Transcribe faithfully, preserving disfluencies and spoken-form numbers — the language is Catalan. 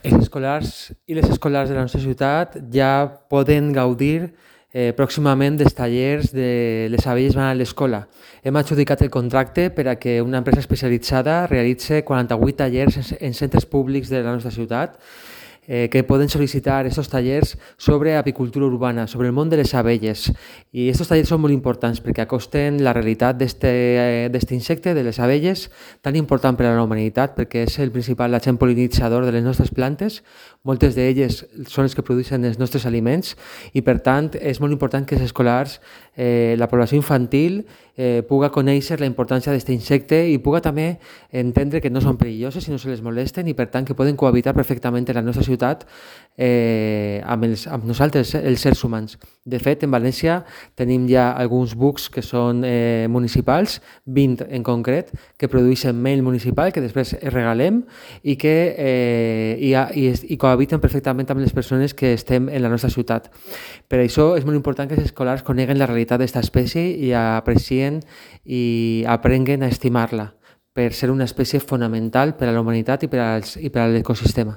Els escolars i les escolars de la nostra ciutat ja poden gaudir eh, pròximament dels tallers de Les abelles van a l'escola. Hem adjudicat el contracte per a que una empresa especialitzada realitzi quaranta-vuit tallers en centres públics de la nostra ciutat eh, que poden sol·licitar aquests tallers sobre apicultura urbana, sobre el món de les abelles. I aquests tallers són molt importants perquè acosten la realitat d'aquest insecte, de les abelles, tan important per a la humanitat, perquè és el principal agent pol·linitzador de les nostres plantes. Moltes d'elles són les que produeixen els nostres aliments i, per tant, és molt important que els escolars, eh, la població infantil, eh, puga conèixer la importància d'aquest insecte i puga també entendre que no són perilloses i no se les molesten i, per tant, que poden cohabitar perfectament en la nostra ciutat eh, amb, els, amb nosaltres, els éssers humans. De fet, en València tenim ja alguns bucs que són eh, municipals, vint en concret, que produeixen mel municipal que després regalem i que eh, i, i, i cohabiten perfectament amb les persones que estem en la nostra ciutat. Per això és molt important que els escolars coneguen la realitat d'aquesta espècie i aprecien i aprenguen a estimar-la per ser una espècie fonamental per a la humanitat i per a l'ecosistema.